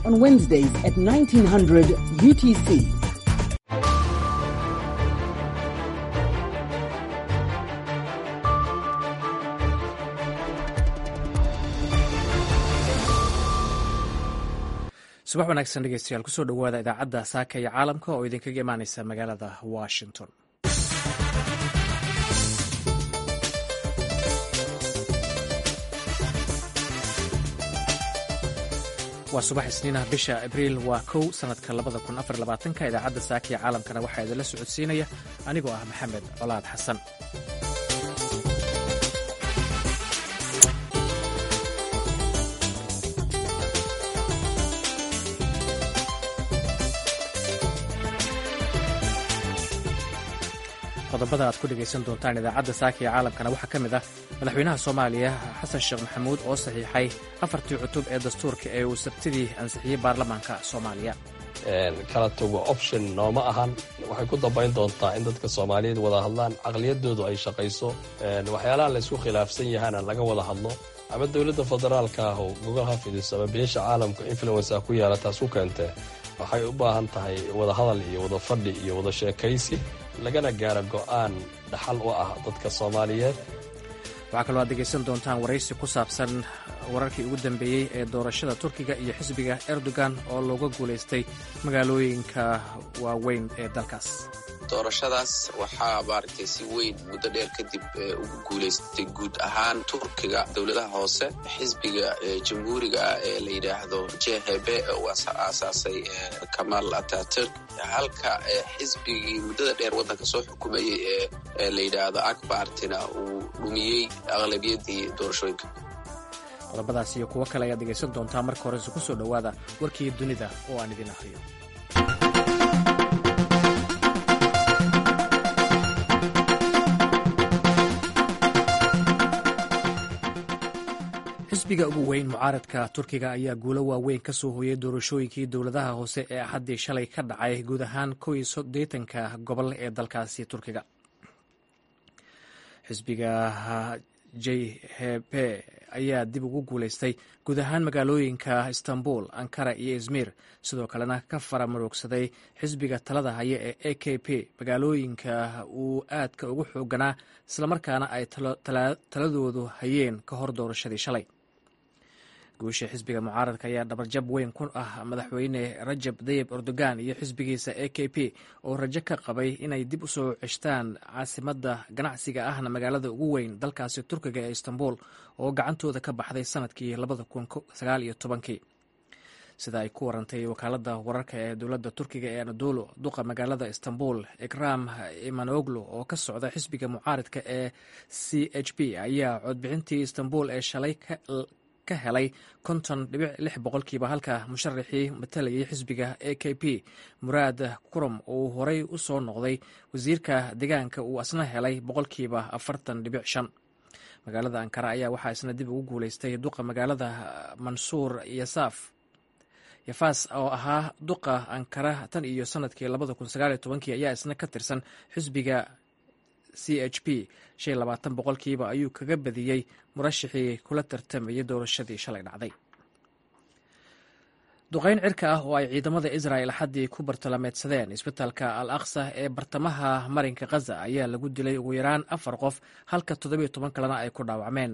On Wednesdays at 1900 UTC. Subax wanaagsan dhegeystayaal, kusoo dhowaada idaacadda Saaka iyo Caalamka oo idinkaga imaaneysa magaalada Washington. Waa subax Isniinah, bisha Abriil waa 1, sanadka 2024-ka. Idaacadda Saaka iyo Caalamkana waxaa idinla socodsiinaya anigoo ah Maxamed Colaad Xasan. Qodobada aad ku dhegaysan doontaan idaacadda Saaka iyo Caalamkana waxaa ka mid ah madaxweynaha Soomaaliya Xasan Sheekh Maxamuud oo saxiixay afartii cutub ee dastuurka ee uu Sabtidii ansixiyey baarlamaanka Soomaaliya. Kala tago option nooma ahan. Waxay ku dambayn doontaa in dadka Soomaaliyeed wada hadlaan, caqliyadoodu ay shaqayso, waxyaalaha laysku khilaafsan yahana laga wada hadlo, ama dowladda federaalka ah oo gogol ha fidiso ama beesha caalamka influensa ku yeela taas ku keentee. Waxay u baahan tahay wada hadal iyo wada fadhi iyo wada sheekaysi, lagana gaaro go'aan dhaxal u ah dadka Soomaaliyeed. Waxaa kaloo aad dhegaysan doontaan waraysi ku saabsan wararkii ugu dambeeyey ee doorashada Turkiga iyo xisbiga Erdogan oo looga guulaystay magaalooyinka waaweyn ee dalkaas. Doorashadaas waxaa maaragtay si weyn muddo dheer kadib ugu guulaystay guud ahaan Turkiga dowladaha hoose xisbiga jamhuuriga ah ee la yidhaahdo JHB oo aasaasay Kamal Ataturk, halka xisbigii muddada dheer waddanka soo xukumayey ee la yidhaahdo Akbartina uu dhumiyey aqlabiyadii doorashooyinka. Qodobadaas iyo kuwo kale ayaad dhegaysan doontaa. Marka horese ku soo dhowaada warkii dunida oo aan idin akhriyo. Xisbiga ugu weyn mucaaradka Turkiga ayaa guulo waaweyn ka soo hooyay doorashooyinkii dowladaha hoose ee Axaddii shalay ka dhacay guud ahaan 81-ka gobol ee dalkaasi Turkiga. Xisbiga JHP ayaa dib ugu guulaystay guud ahaan magaalooyinka Istanbul, Ankara iyo Izmir, sidoo kalena ka faramuruugsaday xisbiga talada haya ee AKP magaalooyinka uu aadka ugu xooganaa, islamarkaana ay taladoodu hayeen ka hor doorashadii shalay. Guusha xisbiga mucaaradka ayaa dhabarjab weyn ku ah madaxweyne Rajab Dayib Erdogan iyo xisbigiisa AKP oo rajo ka qabay inay dib u soo ceshtaan caasimadda ganacsiga ahna magaalada ugu weyn dalkaasi Turkiga ee Istanbul oo gacantooda ka baxday sanadkii 2019-kii, sida ay ku warantay wakaaladda wararka ee dowladda Turkiga ee Anadolu. Duqa magaalada Istanbul Ikram Imanoglu oo ka socda xisbiga mucaaradka ee CHP ayaa codbixintii Istanbul ee shalay ka helay 50.6%, halka musharaxii matalayay xisbiga AKP Muraad Kurum uu horey u soo noqday wasiirka deegaanka uu asna helay 40.5%. Magaalada Ankara ayaa waxaa isna dib ugu guulaystay duqa magaalada Mansuur Yasaaf Yafaas oo ahaa duqa Ankara tan iyo sanadkii 2019-kii ayaa isna ka tirsan xisbiga CHP. 25% ayuu kaga badiyey murashixii kula tartamayay doorashadii shalay dhacday. Duqeyn cirka ah oo ay ciidamada Israel Axaddii ku bartalameedsadeen isbitaalka Al Aqsa ee bartamaha marinka Khaza ayaa lagu dilay ugu yaraan afar qof, halka 17 kalena ay ku dhaawacmeen.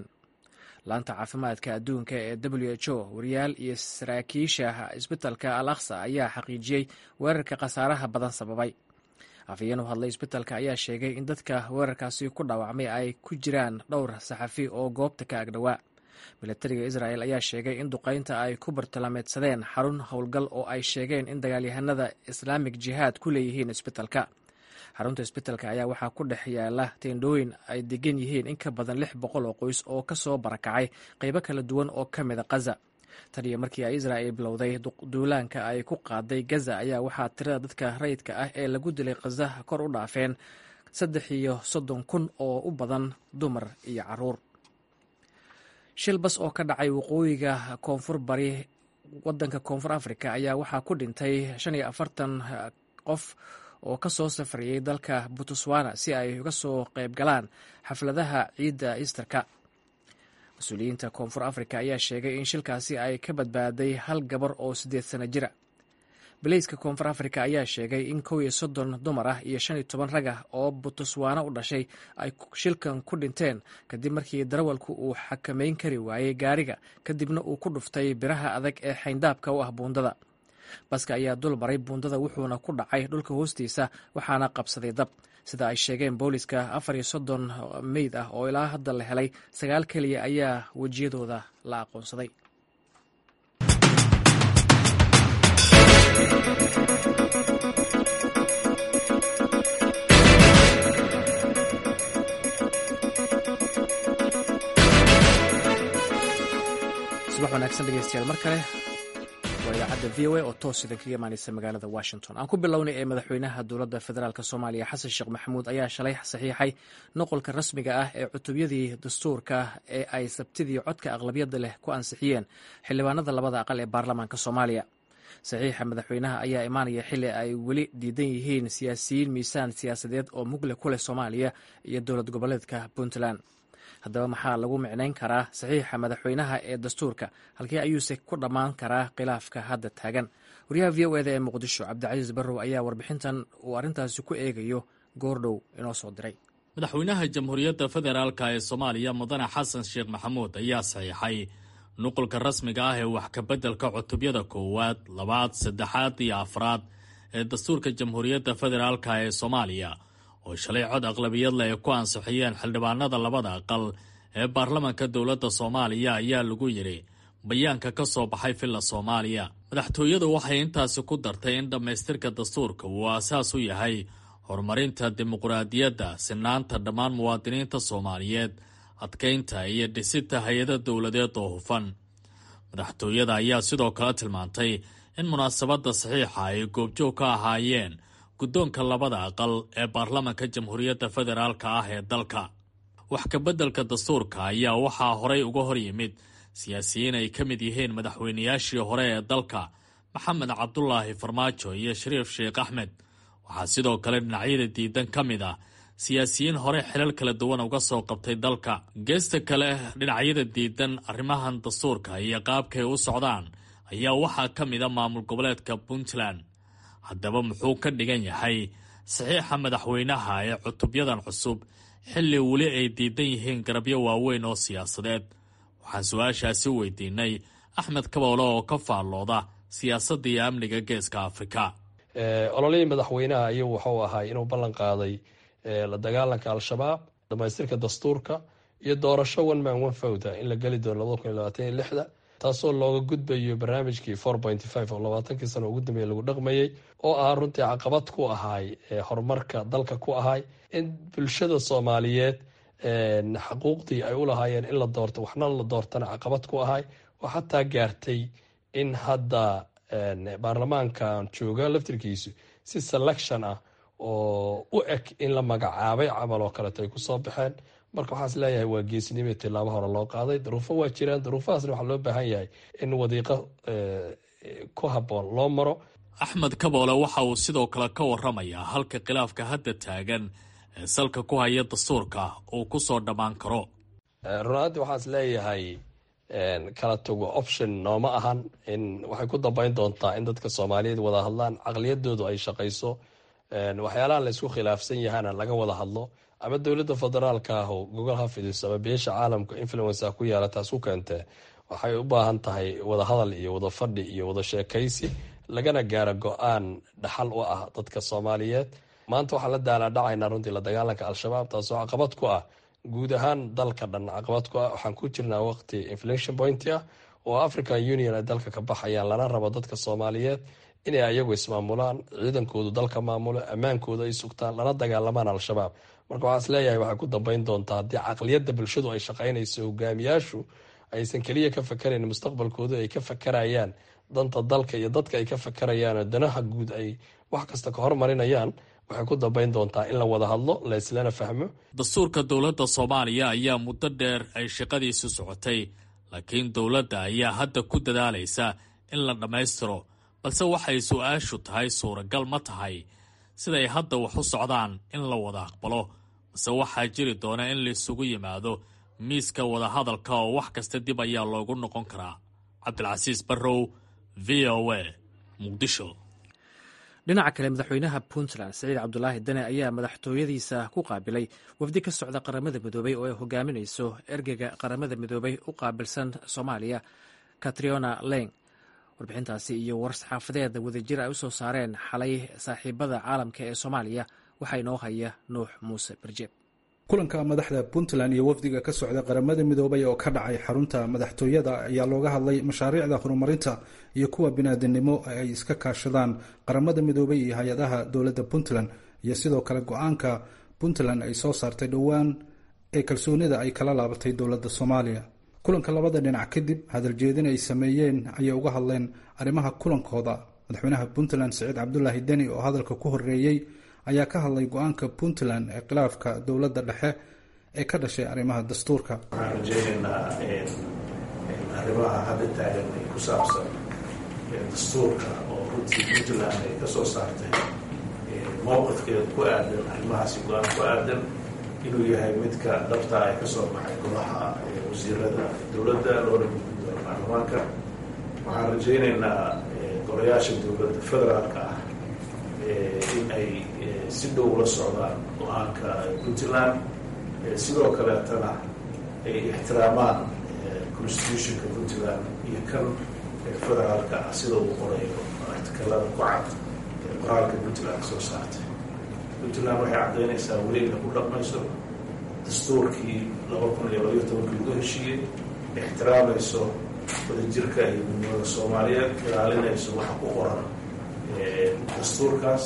Laanta caafimaadka adduunka ee WHO, wariyaal iyo saraakiisha isbitaalka Al Aqsa ayaa xaqiijiyey weerarka khasaaraha badan sababay. Afhayeen u hadlay isbitaalka ayaa sheegay in dadka weerarkaasi ku dhaawacmay ay ku jiraan dhowr saxafi oo goobta ka agdhowaa. Milatariga Israel ayaa sheegay in duqeynta ay ku bartilmaameedsadeen xarun howlgal oo ay sheegeen in dagaalyahanada Islaamic Jihaad ku leeyihiin isbitaalka. Xarunta isbitaalka ayaa waxaa ku dhex yaala teendhooyin ay degan yihiin in ka badan 600 oo qoys oo kasoo barakacay qeybo kala duwan oo ka mida Khaza. Tan iyo markii ay Israel bilowday duulaanka ay ku qaaday Gaza ayaa waxaa tirada dadka rayidka ah ee lagu dilay Khaza kor u dhaafeen 33,000 oo u badan dumar iyo caruur. Shil bas oo ka dhacay waqooyiga koonfur bari wadanka Koonfur Africa ayaa waxaa ku dhintay 45 qof oo ka soo safrayay dalka Botswana si ay uga soo qayb galaan xafladaha ciidda Easterka. Mas-uuliyiinta Koonfur Afrika ayaa sheegay in shilkaasi ay ka badbaaday hal gabar oo 8 sano jira. Baleyska Koonfur Afrika ayaa sheegay in 31 dumar ah iyo 15 rag ah oo Botswana u dhashay ay shilkan ku dhinteen kadib markii darawalku uu xakameyn kari waayey gaariga, kadibna uu ku dhuftay biraha adag ee xayndaabka u ah buundada. Baska ayaa dul maray buundada, wuxuuna ku dhacay dhulka hoostiisa, waxaana qabsaday dab, sida ay sheegeen booliska. 34 meyd ah oo ilaa hadda la helay, 9 keliya ayaa wejiyadooda la aqoonsaday. Subax wanaagsan dhegeystayaal mar kale. Waa idaacadda VOA oo toos idin kaga imaaneysa magaalada Washington. Aan ku bilownay ee madaxweynaha dowladda federaalk Soomaaliya Xasan Sheekh Maxamuud ayaa shalay saxiixay noqolka rasmiga ah ee cutubyadii dastuurka ee ay Sabtidii codka aqlabiyadda leh ku ansixiyeen xildhibaanada labada aqal ee baarlamaanka Soomaaliya. Saxiixa madaxweynaha ayaa imaanaya xilli ay weli diidan yihiin siyaasiyiin miisaan siyaasadeed oo mugle ku leh Soomaaliya iyo dowlad goboleedka Puntland. Haddaba maxaa lagu micnayn karaa saxiixa madaxweynaha ee dastuurka? Halkee ayuuse ku dhammaan karaa khilaafka hadda taagan? Wariyaha VOA da ee Muqdisho Cabdicasiis Barrow ayaa warbixintan uu arrintaasi ku eegayo goordhow inoo soo diray. Madaxweynaha Jamhuuriyadda Federaalka ee Soomaaliya Mudane Xasan Sheekh Maxamuud ayaa saxiixay nuqulka rasmiga ah ee wax kabeddelka cutubyada koowaad, labaad, saddexaad iyo afraad ee dastuurka Jamhuuriyadda Federaalka ee Soomaaliya oo shalay cod aqlabiyad leh ay ku ansixiyeen xildhibaanada labada aqal ee baarlamanka dowladda Soomaaliya, ayaa lagu yidhi bayaanka ka soo baxay Villa Soomaaliya. Madaxtooyadu waxay intaasi ku dartay in dhammaystirka dastuurka uu aasaas u yahay horumarinta dimuqraadiyadda, sinaanta dhammaan muwaadiniinta Soomaaliyeed, adkaynta iyo dhisidta hay-ado dowladeed oo hufan. Madaxtooyada ayaa sidoo kale tilmaantay in munaasabadda saxiixa ay goobjoog ka ahaayeen guddoonka labada aqal ee baarlamanka Jamhuuriyadda Federaalka ah ee dalka. Wax kabeddelka dastuurka ayaa waxaa horay uga hor yimid siyaasiyiin ay ka mid yihiin madaxweynayaashii hore ee dalka Maxamed Cabdulaahi Farmaajo iyo Shariif Sheekh Axmed. Waxaa sidoo kale dhinacyada diidan ka mid ah siyaasiyiin hore xilal kala duwan uga soo qabtay dalka. Geesta kale, dhinacyada diidan arrimahan dastuurka iyo qaabkay u socdaan ayaa waxaa ka mid a maamul goboleedka Puntland. Haddaba muxuu ka dhigan yahay saxiixa madaxweynaha ee cutubyadan cusub xilli weli ay diidan yihiin garabyo waaweyn oo siyaasadeed? Waxaan su-aashaasi weydiinay Axmed Kaboole oo ka faallooda siyaasadda iyo amniga Geeska Afrika. Ololihii madaxweynaha iyagu wuxuu ahaa inuu ballan qaaday la dagaalanka Al-Shabaab, dhamaystirka dastuurka iyo doorasho one man one vote in la geli doono 2026-da, taasoo looga gudbayo barnaamijkii 4.5 oo 20-kii sano ugu dambeeyay lagu dhaqmayay, oo ah runtii caqabad ku ahay horumarka dalka, ku ahay in bulshada Soomaaliyeed xaquuqdii ay u lahaayeen in la doorto waxna la doortana caqabad ku ahay, oo xataa gaartay in hadda baarlamaankan jooga laftirkiisu si selection ah oo u eg in la magacaabay camal oo kaleeto ay kusoo baxeen. Marka waxaa is leeyahay waa geesinimo tilaabo hore loo qaaday. Duruufo waa jiraan, duruufahaasna waxaa loo baahan yahay in wadiiqo ku habboon loo maro. Axmed Kaboole waxa uu sidoo kale ka waramayaa halka khilaafka hadda taagan ee salka ku haya dastuurka uu ku soo dhammaan karo. Runaantii waxaa is leeyahay kala tago option nooma ahan. In waxay ku dambeyn doontaa in dadka Soomaaliyeed wada hadlaan, caqliyadoodu ay shaqayso, waxyaalaha la isku khilaafsan yahana laga wada hadlo, ama dowladda federaalka ah oo gogol ha fidiso ama beesha caalamka influence ah ku yeela taas ku keentee. Waxay u baahan tahay wada hadal iyo wada fadhi iyo wada sheekaysi, lagana gaaro go-aan dhaxal u ah dadka Soomaaliyeed. Maanta waxaan la daalaadhacaynaa runtii la dagaalanka Al-Shabaab, taasoo caqabad ku ah guud ahaan dalka dhan caqabad ku ah. Waxaan ku jirnaa waqti inflation point ah oo African Union ay dalka ka baxayaan, lana rabo dadka Soomaaliyeed inay ayagu ismaamulaan, ciidankoodu dalka maamulo, ammaankooda ay sugtaan, lana dagaalamaan Al-Shabaab. Marka waxaa is leeyahay waxay ku dambeyn doontaa haddii caqliyadda bulshadu ay shaqaynayso, hogaamiyaashu aysan keliya ka fakarayn mustaqbalkooda, ay ka fakarayaan danta dalka iyo dadka ay ka fakarayaan oo danaha guud ay wax kasta ka hormarinayaan, waxay ku dambeyn doontaa in la wada hadlo, la islana fahmo. Dastuurka dowladda Soomaaliya ayaa muddo dheer ay shaqadiisu socotay, laakiin dowladda ayaa hadda ku dadaalaysa in la dhammaystiro, balse waxay su-aashu tahay suuragal ma tahay siday hadda wax u socdaan in la wada aqbalo, balse waxaa jiri doona in laisugu yimaado miiska wadahadalka oo wax kasta dib ayaa loogu noqon karaa. Cabdilcasiis Barrow, v o a, Muqdisho. Dhinaca kale, madaxweynaha Puntland Saciid Cabdulaahi Dane ayaa madaxtooyadiisa ku qaabilay wafdi ka socda Qaramada Midoobay oo ay hogaaminayso ergeyga Qaramada Midoobay u qaabilsan Soomaaliya, Katriona Leng. Warbixintaasi iyo war-saxaafadeed wadajir ay u soo saareen xalay saaxiibada caalamka ee Soomaaliya waxaa inoo haya Nuux Muuse Barjeeb. Kulanka madaxda Puntland iyo wafdiga ka socda Qaramada Midoobay oo ka dhacay xarunta madaxtooyada ayaa looga hadlay mashaariicda horumarinta iyo kuwa biniaadanimo ee ay iska kaashadaan Qaramada Midoobay iyo hay-adaha dowladda Puntland, iyo sidoo kale go-aanka Puntland ay soo saartay dhowaan ee kalsoonida ay kala laabatay dowladda Soomaaliya. Kulanka labada dhinac kadib, hadaljeedin ay sameeyeen ayay uga hadleen arrimaha kulankooda. Madaxweynaha Puntland Siciid Cabdulaahi Deni oo hadalka ku horeeyey ayaa ka hadlay go-aanka Puntland ee khilaafka dowladda dhexe ee ka dhashay arrimaha dastuurka. Waxaan rajaynaynaa arrimaha hadda taagan ee ku saabsan dastuurka oo runtii Puntland ay ka soo saartay mowqifkeeda ku aadan arrimahaasi, go-aan ku aadan inuu yahay midka dhabta ay ka soo baxay golaha wasiirada dowladda loona gudbin doono baarlamaanka. Waxaan rajaynaynaa golayaasha dowladda federaalka ah in ay si dhow la socdaan go-aanka Puntland, sidoo kaleetana ay ixtiraamaan constitutionka Puntland iyo kan federaalka ah sida uu qorayo artikalada ku cad ee qoraalka Puntland soo saartay. Puntland waxay caddaynaysaa weli inay ku dhaqmayso dastuurkii 2012-kii lagu heshiiyey, ixtiraamayso wadajirka iyo midnimada Soomaaliyeed, ilaalinayso waxa ku qoran dastuurkaas,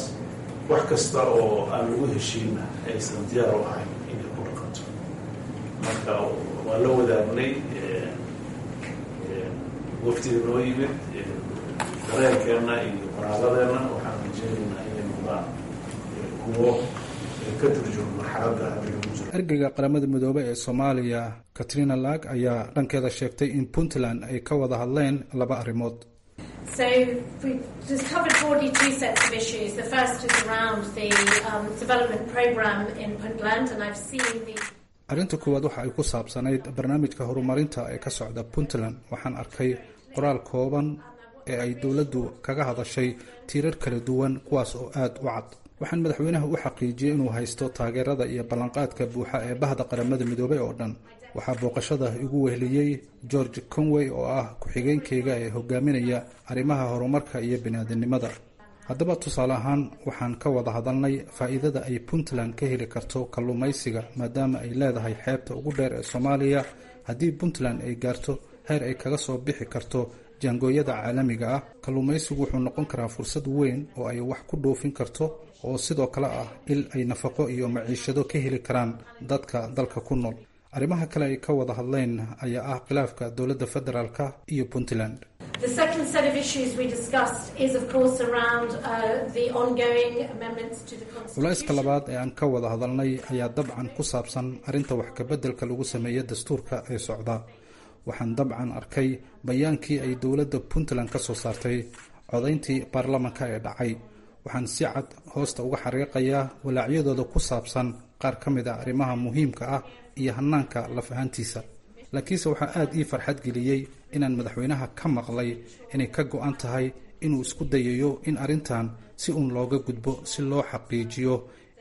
wax kasta oo aan lagu heshiinna aysan diyaar u ahayn inay ku dhaqanto. Marka waa la wadaagnay waftiga noo yimid dareenkeenna iyo qoraaladeenna. Waxaan rajeynaynaa inay noqdaan kuwo ka turjuma marxaladda hadda lagu jiro. Ergeyga Qaramada Midoobey ee Soomaaliya Katrina Lag ayaa dhankeeda sheegtay in Puntland ay ka wada hadleen laba arrimood. So we just covered broadly two sets of issues. The first is around the development program in Puntland, and I've seen the Arrinta koowaad waxa ay ku saabsanayd barnaamijka horumarinta ee ka socda Puntland. Waxaan arkay qoraal kooban ee ay dowladdu kaga hadashay tiirar kala duwan, kuwaas oo aada u cad. Waxaan madaxweynaha u xaqiijiyey inuu haysto taageerada iyo ballanqaadka buuxa ee bahda Qaramada Midoobey oo dhan. Waxaa booqashada igu weheliyey George Conway oo ah ku-xigeenkayga ee hogaaminaya arrimaha horumarka iyo biniaadanimada. Haddaba tusaale ahaan, waxaan ka wada hadalnay faa'iidada ay Puntland ka heli karto kalluumaysiga, maadaama ay leedahay xeebta ugu dheer ee Soomaaliya. Haddii Puntland ay gaarto heer ay kaga soo bixi karto jaangooyada caalamiga ah, kalluumaysigu wuxuu noqon karaa fursad weyn oo ay wax ku dhoofin karto, oo sidoo kale ah il ay nafaqo iyo maciishado ka heli karaan dadka dalka ku nool. Arrimaha kale ay ka wada hadleen ayaa ah khilaafka dowladda federaalka iyo Puntland. The second set of issues we discussed is, of course, around the ongoing amendments to the Culayska Constitution. labaad ee aan ka wada hadalnay ayaa dabcan ku saabsan arrinta wax kabeddelka lagu sameeya dastuurka ee socda. Waxaan dabcan arkay bayaankii ay dowladda Puntland ka soo saartay codayntii baarlamanka ee dhacay. Waxaan si cad hoosta uga xariiqayaa walaacyadooda ku saabsan qaar ka mid ah arrimaha muhiimka ah iyo hannaanka laf ahaantiisa. Laakiinse waxaa aada ii farxad geliyey inaan madaxweynaha ka maqlay inay ka go-an tahay inuu isku dayayo in arrintan si uun looga gudbo, si loo xaqiijiyo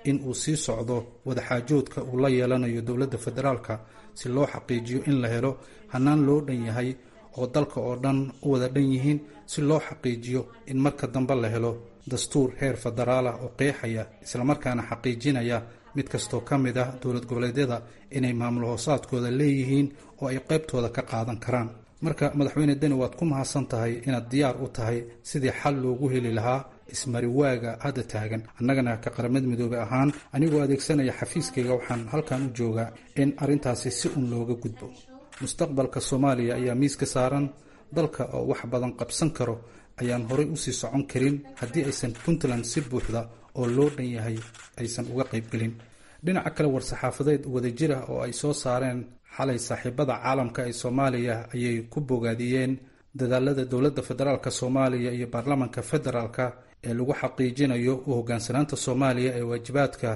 in uu sii socdo wadaxaajoodka uu la yeelanayo dowladda federaalka, si loo xaqiijiyo in la helo hannaan loo dhan yahay oo dalka oo dhan u wada dhan yihiin, si loo xaqiijiyo in marka dambe la helo dastuur heer federaal ah oo qeexaya islamarkaana xaqiijinaya mid kastoo ka mid ah dowlad goboleedyada inay maamul hoosaadkooda leeyihiin oo ay qaybtooda ka qaadan karaan. Marka madaxweyne Deni, waad ku mahadsan tahay inaad diyaar u tahay sidii xal loogu heli lahaa ismariwaaga hadda taagan. Annagana ka Qaramada Midoobey ahaan, anigoo adeegsanaya xafiiskayga, waxaan halkan u joogaa in arrintaasi si un looga gudbo. Mustaqbalka Soomaaliya ayaa miiska saaran. Dalka oo wax badan qabsan karo ayaan horay usii socon karin haddii aysan Puntland si buuxda oo loo dhan yahay aysan uga qaybgelin. Dhinaca kale, war-saxaafadeed wadajir ah oo ay soo saareen xalay saaxiibada caalamka ee Soomaaliya ayay ku bogaadiyeen dadaalada dowladda federaalk Soomaaliya iyo baarlamanka federaalka ee lagu xaqiijinayo u hoggaansanaanta Soomaaliya ee waajibaadka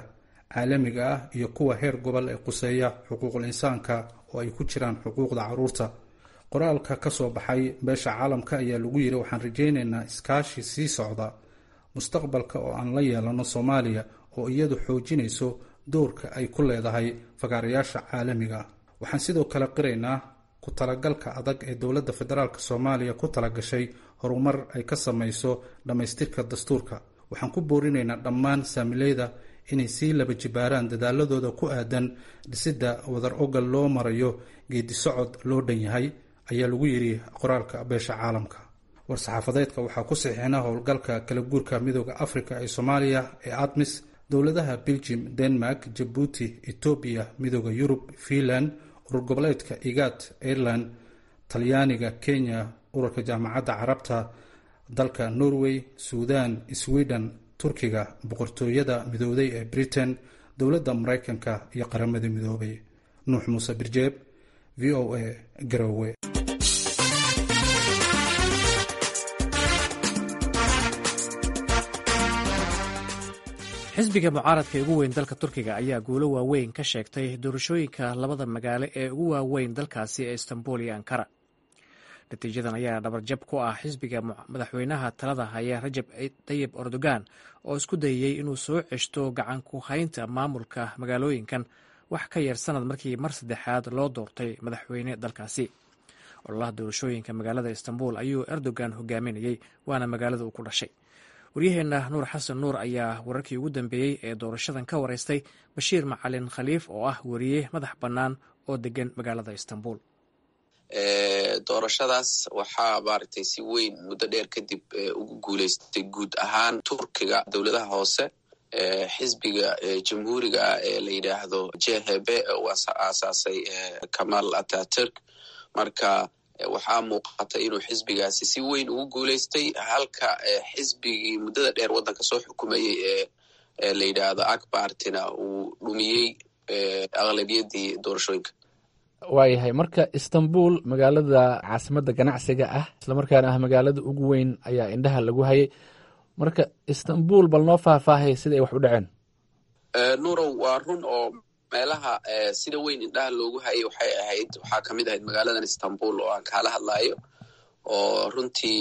caalamiga ah iyo kuwa heer gobol ee quseeya xuquuqul insaanka oo ay ku jiraan xuquuqda carruurta. Qoraalka ka soo baxay beesha caalamka ayaa lagu yiri, waxaan rajaynaynaa iskaashi sii socda mustaqbalka oo aan la yeelano Soomaaliya oo iyadu xoojinayso doorka ay ku leedahay fagaarayaasha caalamiga. Waxaan sidoo kale qiraynaa ku talagalka adag ee dowladda federaalk Soomaaliya ku talagashay horumar ay ka samayso dhammaystirka dastuurka. Waxaan ku boorinaynaa dhammaan saamileyda inay sii laba jibaaraan dadaaladooda ku aadan dhisidda wadar ogal loo marayo geedi socod loo dhan yahay, ayaa lagu yiri qoraalka beesha caalamka. War-saxaafadeedka waxaa ku saxiixna howlgalka kala guurka Midooda Afrika ee Soomaaliya ee ATMIS, dowladaha Belgium, Denmark, Jabuuti, Etoobiya, Midooda Yurub, Finland, urur goboleedka IGAD, Ireland, Talyaaniga, Kenya, ururka Jaamacadda Carabta, dalka Norway, Suudan, Sweden, Turkiga, Boqortooyada Midowday ee Britain, dowladda Maraykanka iyo Qaramada Midoobay. Nuux Muuse Birjeeb, VOA, Garowe. Xisbiga mucaaradka ee ugu weyn dalka Turkiga ayaa guulo waaweyn ka sheegtay doorashooyinka labada magaalo ee ugu waaweyn dalkaasi ee Istanbul iyo Ankara. Natiijadan ayaa dhabarjab ku ah xisbiga madaxweynaha talada haya Rajab Tayib Erdogan oo isku dayayey inuu soo ceshto gacan ku haynta maamulka magaalooyinkan wax ka yar sanad markii mar saddexaad loo doortay madaxweyne dalkaasi. Ololaha doorashooyinka magaalada Istanbul ayuu Erdogan hogaaminayey, waana magaalada uu ku dhashay. Waryaheenna Nuur Xasan Nuur ayaa wararkii ugu dambeeyey ee doorashadan ka wareystay Bashiir Macalin Khaliif oo ah weriye madax bannaan oo degan magaalada Istanbul. Doorashadaas waxaa maaragtay si weyn muddo dheer kadib ugu guuleystay guud ahaan Turkiga dowladaha hoose xisbiga jamhuuriga ah ee la yidhaahdo JHP oo aasaasay Kamal Ataturk. Marka waxaa muuqata inuu xisbigaasi si weyn ugu guuleystay, halka xisbigii muddada dheer waddanka soo xukumayey ee la yidhaahdo Akbartina uu dhumiyey aqlabiyadii doorashooyinka. Waayahay, marka Istanbul, magaalada caasimadda ganacsiga ah islamarkaana ah magaalada ugu weyn, ayaa indhaha lagu hayay. Marka Istanbul bal noo faahfaahay sida ay wax u dhaceen. Nuurow, waa run oo meelaha sida weyn indhaha loogu hayay waxay ahayd, waxaa kamid ahayd magaaladan Istanbul oo aan kaala hadlayo, oo runtii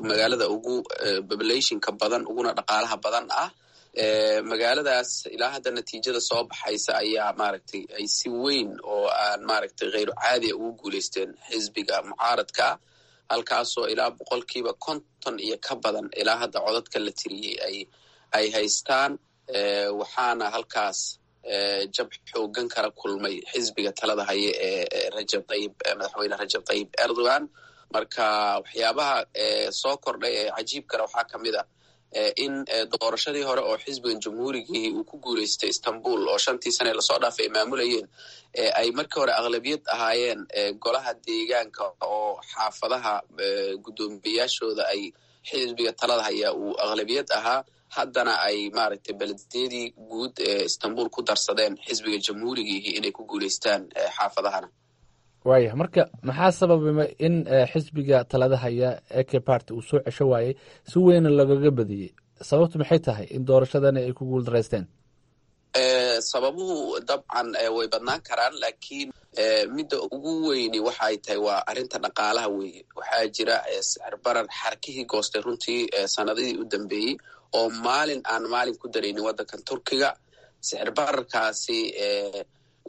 magaalada ugu populationka badan uguna dhaqaalaha badan ah. Magaaladaas ilaa hadda natiijada soo baxaysa ayaa maaragtay ay si weyn oo aan maaragtay kheyru caadiya ugu guuleysteen xisbiga mucaaradka, halkaasoo ilaa 50% iyo ka badan ilaa hadda codadka la tiriyey ay haystaan. Waxaana halkaas jab xoogan kala kulmay xisbiga talada haye ee Rajab Tayib, madaxweyne Rajab Tayib Erdogan. Marka waxyaabaha soo kordhay ee cajiibkana waxaa kamid ah in doorashadii hore oo xisbigan jamhuurigii uu ku guuleystay Istanbul oo 5tii sane lasoo dhaafay ay maamulayeen, ay markii hore aqlabiyad ahaayeen golaha deegaanka oo xaafadaha guddoomiyayaashooda ay xisbiga talada hayaa uu aqlabiyad ahaa, haddana ay maaragtay belediyadii guud ee Istanbul ku darsadeen xisbiga jamhuurigiihi inay ku guuleystaan xaafadahana. Waayah, marka maxaa sababay in xisbiga talada haya AK Party uu soo cesho waayey si weyna lagaga badiyey? Sababtu maxay tahay in doorashadani ay ku guuldareysteen? Sababuhu dabcan way badnaan karaan, laakiin midda ugu weyni waxay tahay waa arrinta dhaqaalaha weeye. Waxaa jira sicir barar xarkihii goostay runtii sanadihii u dambeeyey oo maalin aan maalin ku daraynin waddankan Turkiga. Sicir bararkaasi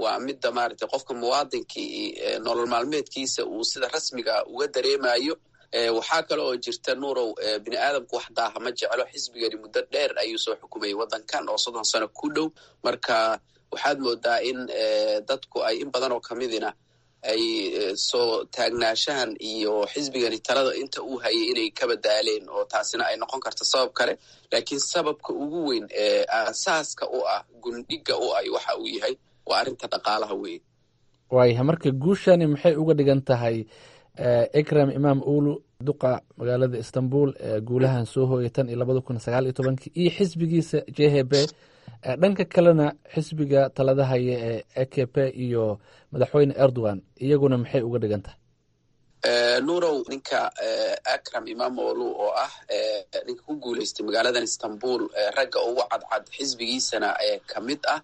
waa midda maaragtay qofka muwaadinkii nolol maalmeedkiisa uu sida rasmiga uga dareemayo. Waxaa kale oo jirta, Nuurow, bini aadamku wax daaha ma jeclo. Xisbigani muddo dheer ayuu soo xukumayay waddankan oo 30 sano ku dhow. Marka waxaad moodaa in dadku ay in badan oo kamidina ay soo taagnaashahan iyo xisbigani talada inta uu hayay inay ka badaaleen, oo taasina ay noqon karto sabab kale. Laakiin sababka ugu weyn ee aasaaska u ah, gundhiga u ah, waxa uu yahay waa arrinta dhaqaalaha weeye. Waayahay, marka guushani maxay uga dhigan tahay Ekrem Imamoglu, duqa magaalada Istanbul ee guulahan soo hooyay tan iyo 2019-kii, iyo xisbigiisa JHP, dhanka kalena xisbiga talada haya ee AKP iyo madaxweyne Erdogan iyaguna maxay uga dhigan tahay? Nuurow, ninka Akram Imamoglu oo ah ninka ku guuleystay magaaladan Istanbul, ragga ugu cadcad xisbigiisana kamid ah,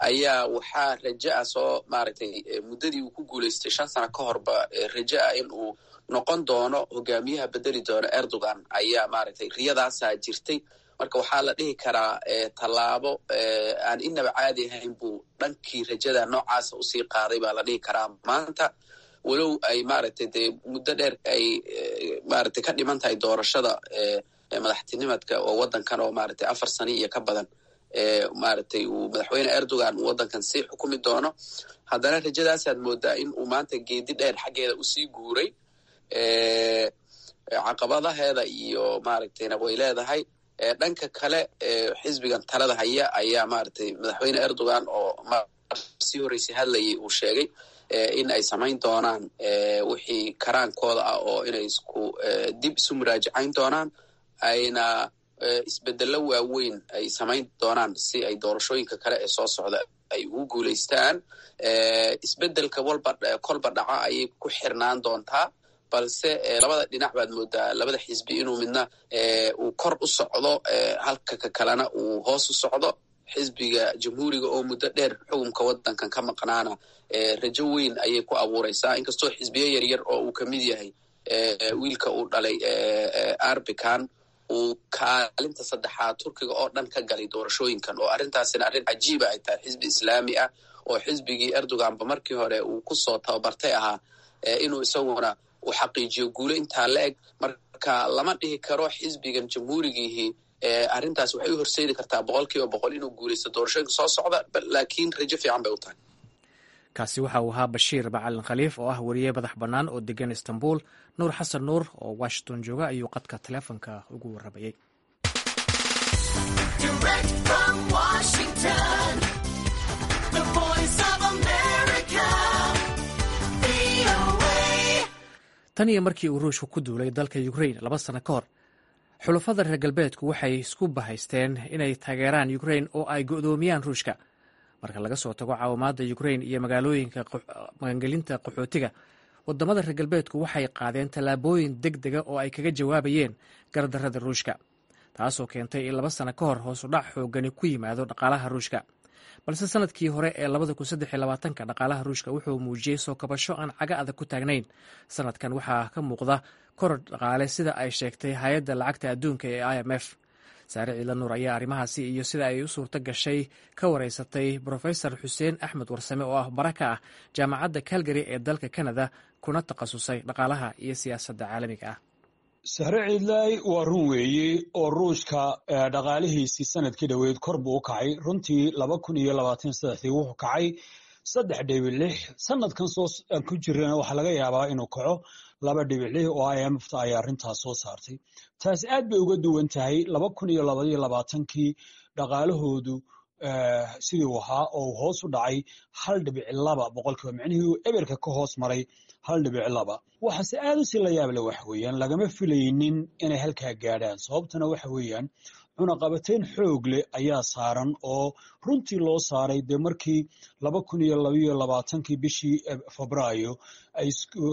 Ayaa waxaa raja ah soo maaragtay muddadii uu ku guulaystay 5 sano ka horba, raja ah in uu noqon doono hogaamiyaha bedeli doono Erdogan ayaa maaragtay riyadaasaa jirtay. Marka waxaa la dhihi karaa tallaabo aan inaba caadi ahayn buu dhankii rajada noocaasa usii qaaday baa la dhihi karaa maanta, walow ay maaragtay dee muddo dheer ay maaragtay ka dhiman tahay doorashada madaxtinimadka oo waddankan, oo maaragtay 4 sano iyo ka badan maaragtay uu madaxweyne Erdogan uu waddankan sii xukumi doono. Haddana rajadaasaad moodaa in uu maanta geedi dheer xaggeeda usii guuray. Caqabadaheeda iyo maaragtayna way leedahay. Dhanka kale, xisbigan talada haya ayaa maaragtay madaxweyne Erdogan oo mar sii horreysay hadlayay uu sheegay in ay samayn doonaan wixii karaankooda ah, oo inay isku dib isu muraajacayn doonaan, ayna isbedello waaweyn ay samayn doonaan si ay doorashooyinka kale ee soo socda ay ugu guulaystaan. Isbedelka walba kolba dhaca ayay ku xirnaan doontaa, balse labada dhinac baad moodaa labada xisbi inuu midna uu kor u socdo, halka ka kalena uu hoos u socdo. Xisbiga Jamhuuriga oo muddo dheer xukunka waddankan ka maqnaana rajo weyn ayay ku abuureysaa, inkastoo xisbiyo yaryar oo uu kamid yahay wiilka uu dhalay Erbakan uu kaalinta saddexaad Turkiga oo dhan ka galay doorashooyinkan, oo arrintaasina arrin cajiiba ay tahay, xisbi Islaami ah oo xisbigii Erdoganba markii hore uu kusoo tababartay ahaa inuu isaguna uu xaqiijiyo guulo intaa la eg. Marka lama dhihi karo xisbigan Jamhuurigiihii arrintaas waxay u horseedi kartaa 100% inuu guulaysto doorashooyinka soo socda, laakiin rajo fiican bay u tahay. Kaasi waxa uu ahaa Bashiir Macalin Khaliif oo ah weriye madax bannaan oo degan Istanbul. Nuur Xasan Nuur oo Washington jooga ayuu qadka taleefonka ugu warramayey. Direct from Washington, the Voice of America, VOA. Tan iyo markii uu Ruushku ku duulay dalka Ukrain 2 sano ka hor, xulafada reer galbeedku waxay isku bahaysteen inay taageeraan Ukrain oo ay go'doomiyaan Ruushka. Marka laga soo tago caawimaadda Ukrain iyo magaalooyinka magangelinta qaxootiga, wadamada reer galbeedku waxay qaadeen tallaabooyin deg dega oo ay kaga jawaabayeen gardarrada Ruushka, taasoo keentay in 2 sano ka hor hoos u dhac xoogani ku yimaado dhaqaalaha Ruushka. Balse sanadkii hore ee 2023-ka dhaqaalaha Ruushka wuxuu muujiyey soo kabasho aan caga adag ku taagnayn. Sanadkan waxaa ka muuqda koror dhaqaale, sida ay sheegtay Hay-adda Lacagta Adduunka ee IMF. Saare Ciidla Nuur ayaa arrimahaasi iyo sida ay u suurto gashay ka wareysatay Brofesor Xuseen Axmed Warsame oo ah bara ka ah Jaamacadda Calgary ee dalka Canada, kuna takhasusay dhaqaalaha iyo siyaasadda caalamiga ah. Sahre Ciidlaay, waa run weeye oo Ruushka dhaqaalihiisii sanadkii dhoweyd kor buu u kacay runtii. 2023-dii wuxuu kacay 3.6. Sanadkan soo aan ku jirana waxaa laga yaabaa inuu kaco 2.6, oo IMF-ta ayaa arrintaas soo saartay. Taasi aad bay uga duwan tahay 2022-kii dhaqaalahoodu sidii uu ahaa, oo uu hoos u dhacay 1.2%, micnihii uu eberka ka hoos maray 1.2. Waxaase aad u si la yaab leh waxa weeyaan lagama filaynin inay halkaa gaadhaan. Sababtana waxa weeyaan cunaqabateyn xoog leh ayaa saaran, oo runtii loo saaray dee markii 2022-kii bishii Febraayo ay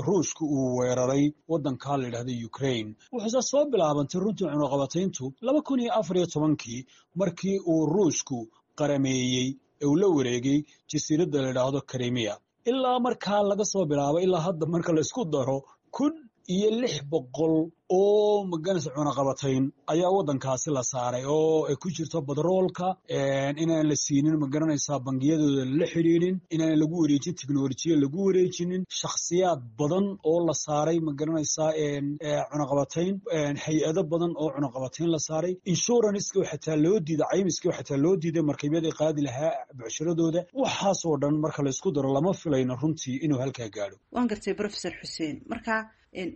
Ruushku uu weeraray waddanka la yidhahda Ukraine. Wuxuuse soo bilaabantay runtii cunaqabateyntu 2014-kii, markii uu Ruushku qarameeyey ee uu la wareegay jasiiradda la yidhaahdo Crimea. Ilaa markaa laga soo bilaabo ilaa hadda, marka la isku daro, 1600 oo maganaysa cunaqabatayn ayaa waddankaasi la saaray, oo ay ku jirto batroolka inaan la siinin, magaranaysaa, bangiyadooda lala xidhiidhin, inaan lagu wareejin teknolojiya, lagu wareejinin shakhsiyaad badan oo la saaray, magaranaysaa, cunaqabatayn, hay-ado badan oo cunaqabatayn la saaray, insuranceka xataa loo diiday, caymiska xataa loo diiday markabyada qaadi lahaa bucshiradooda. Waxaasoo dhan marka la isku daro, lama filayno runtii inuu halkaa gaadho. Waan gartay, Professor Xuseen. Marka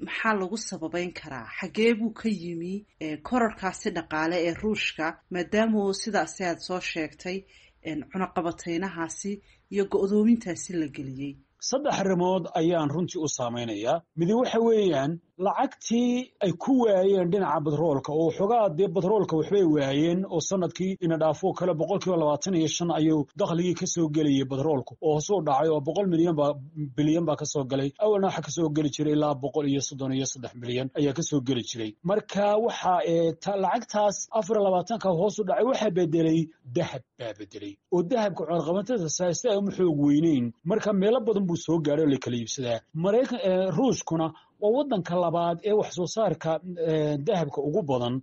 maxaa lagu sababeyn karaa? Xagee buu ka yimi korarkaasi dhaqaale ee Ruushka, maadaama sidaasi aad soo sheegtay cunaqabateynahaasi iyo go-doomintaasi la geliyey? Saddex arrimood ayaan runtii u saameynayaa. Midi waxa weeyaan Lacagtii ay ku waayeen dhinaca batroolka oo xogaa dee batroolka waxbay waayeen oo sanadkii ina dhaafoo kale 25% ayuu dakhligii kasoo gelayay batroolku oo hoosuu dhacay oo 100 milyan baa bilyan baa kasoo galay. Awalna waxa kasoo geli jiray ilaa 133 milyan ayaa kasoo geli jiray. Marka waxa lacagtaas 24-ka hoos u dhacay waxaa bedelay dahab baa bedelay, oo dahabka cunaqabatada si ay uma xoog weyneyn. Marka meelo badan buu soo gaaray oo la kala iibsadaa. Maraykan, Ruushkuna waa wadanka labaad ee wax soo saarka dahabka ugu badan,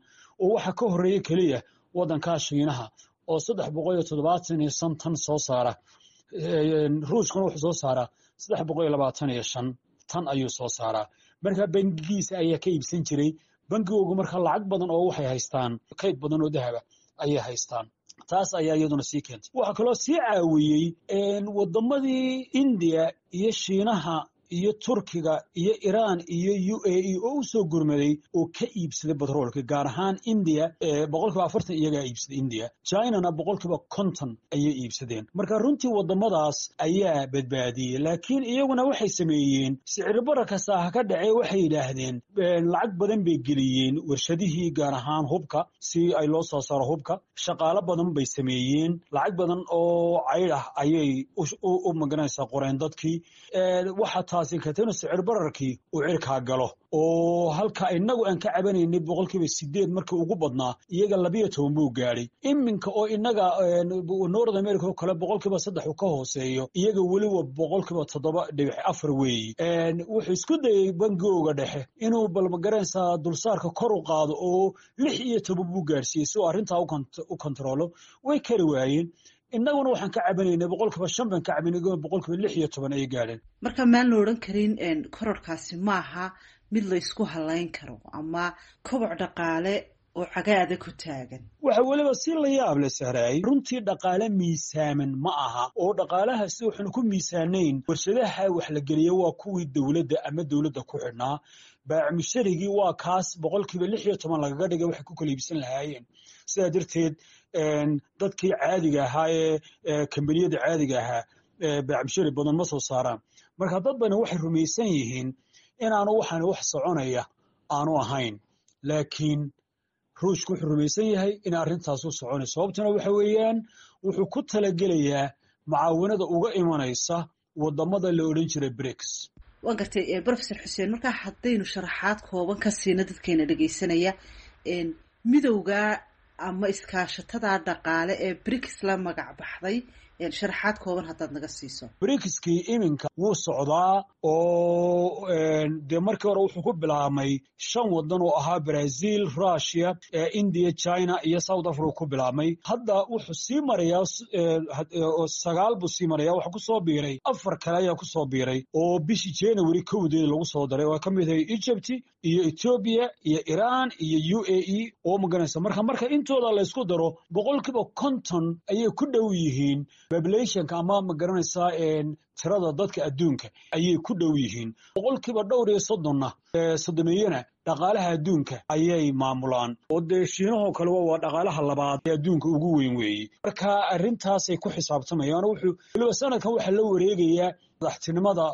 oo waxa ka horeeya keliya wadanka Shiinaha oo 375 tan soo saara. Ruushkuna wuxuu soo saaraa 325 tan ayuu soo saaraa. Marka bangigiisa ayaa ka iibsan jiray, bangigoogu marka lacag badan oo waxay haystaan kayd badan oo dahaba ayay haystaan. Taas ayaa iyaduna sii keentay. Waxaa kaloo sii caawiyey wadamadii India iyo Shiinaha iyo Turkiga iyo Iran iyo UAE oo u soo gurmaday oo ka iibsaday batroolka, gaar ahaan India 40% iyagaa iibsaday India, Chinana 50% ayay iibsadeen. Marka runtii wadamadaas ayaa badbaadiyey, laakiin iyaguna waxay sameeyeen sicir bararka saaha ka dhacee. Waxay yidhaahdeen lacag badan bay geliyeen warshadihii, gaar ahaan hubka, si ay loo soo saaro hubka. Shaqaalo badan bay sameeyeen, lacag badan oo caydh ah ayay u magaranaysaa qoreen dadkii. Waxa taasi keentay inuu sicir bararkii uu cirkaa galo, oo halka inagu aan ka cabanaynay 8% markii ugu badnaa, iyaga 12 buu gaadhay. Iminka oo inaga North America oo kale 3% uu ka hooseeyo, iyaga weliba 7.4% weeyi. Wuxuu isku dayey bangigooga dhexe inuu bal magaranaysaa dulsaarka kor u qaado oo 16 buu gaadhsiiyey si uu arrintaa u kontaroolo. Way kari waayeen. Innaguna waxaan ka cabanaynay 5% baan ka cabanay, 16% ay gaadheen. Marka maan la odhan karin kororkaasi maaha mid la isku halayn karo ama koboc dhaqaale oo cagaada ku taagan? Waxa weliba si la yaab leh, Sahraay, runtii dhaqaale miisaaman ma aha, oo dhaqaalaha si waxaanu ku miisaanayn. Warshadaha wax la geliya waa kuwii dowladda ama dowladda ku xidhnaa. Baacmusharigii waa kaas 16% lagaga dhigay waxay ku kala iibsan lahaayeen. Sidaa darteed dadkii caadiga ahaa ee kambaniyada caadiga ahaa baacmushari badan ma soo saaraan. Marka dad bani waxay rumaysan yihiin inaanu waxaan wax soconaya aanu ahayn, laakiin Ruushku wuxuu rumaysan yahay in arrintaasu soconayso. Sababtuna waxa weeyaan wuxuu ku talagelayaa mucaawinada uga imanaysa wadamada la odhan jiray BRICS. Waan gartay, Professor Xuseen. Markaa haddaynu sharaxaad kooban ka siino dadkeena dhegeysanaya midowga ama iskaashatada dhaqaale ee BRICS la magac baxday, sharaxaad kooban haddaad naga siiso. BRICS-kii iminka wuu socdaa, oo dee markii hore wuxuu ku bilaabmay shan wadan oo ahaa Brazil, Russia, India, China iyo South Africa ku bilaabmay. Hadda wuxuu sii marayaa sagaal buu sii maraya. Waxa kusoo biiray afar kale ayaa kusoo biiray oo bishii January 1-deeda lagu soo daray, oo ka mid ahay Egypt iyo Ethiopia iyo Iran iyo UAE oo maganaysa. Marka intooda la isku daro 50% ayay ku dhow yihiin populationka ama magaranaysaa tirada dadka adduunka ayay ku dhow yihiin. Dhowr iyo soddonna soddomeeyana dhaqaalaha adduunka ayay maamulaan, oo dee Shiinahoo kale waa dhaqaalaha labaad ee adduunka ugu weyn weeye. Marka arrintaasay ku xisaabtamayaan. Wuxuu weliba sanadkan waxaa la wareegayaa madaxtinimada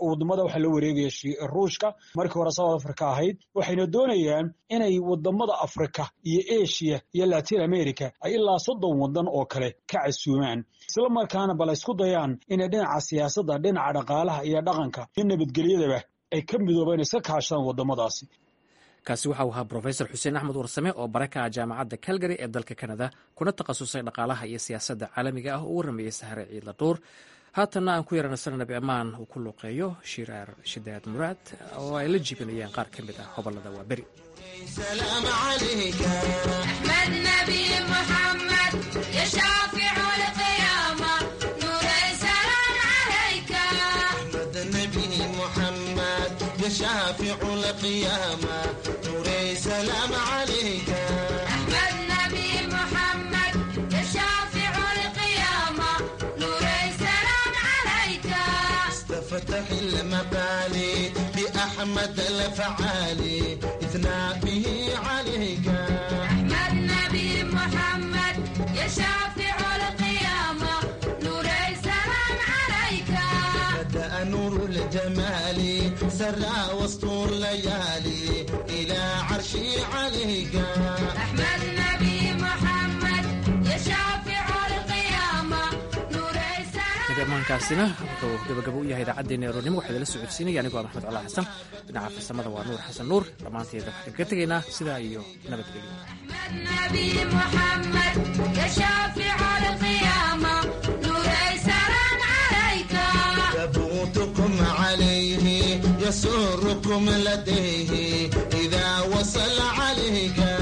wadamada, waxaa la wareegaya Ruushka, markii hore South Africa ahayd. Waxayna doonayaan inay wadamada Africa iyo Asia iyo Latin America ay ilaa 30 wadan oo kale ka casuumaan, isla markaana bal isku dayaan inay dhinaca siyaasadda, dhinaca dhaqaalaha iyo dhaqanka iyo nabadgelyadaba ay ka midoobaan, iska kaashadaan wadamadaasi. Kaasi waxa uu ahaa Brofesor Xuseen Axmed Warsame oo bare ka ah Jaamacadda Calgary ee dalka Canada, kuna takhasusay dhaqaalaha iyo siyaasadda caalamiga ah, oo u warramayey Sahre Ciidla Dhuur. Haatanna aan ku yaranaysana Nabi Ammaan uu ku luuqeeyo Shiraar Shidaad Muraad oo ay la jibinayaan qaar ka mid ah hobollada Waaberi. شافع القيامة نوري سلام عليك. أحمد نبي محمد يا شافع القيامة نوري سلام عليك. استفتح المقالي بأحمد الفعالي إثناء به عليك. أحمد نبي محمد يا شافع القيامة نوري سلام عليك. بدأ نور الجمال سرى وسط الليالي. الليالي إلى عرشي عليك. أحمد نبي محمد يا شافع القيامة نور Nagamaankaasina wuxuu gabagabo u yahay idaacaddeenna aroornimo. Waxaa idinla socodsiinaya anigoo ah Maxmed Colaa Xasan. Dhinaca farsamada waa Nuur Xasan Nuur. Dhammaanteeda waxaan kaga tegaynaa sidaa iyo nabadgelyo. نبي محمد يا شافع القيامة نور سلام عليك. يبوتكم عليه يسركم لديه.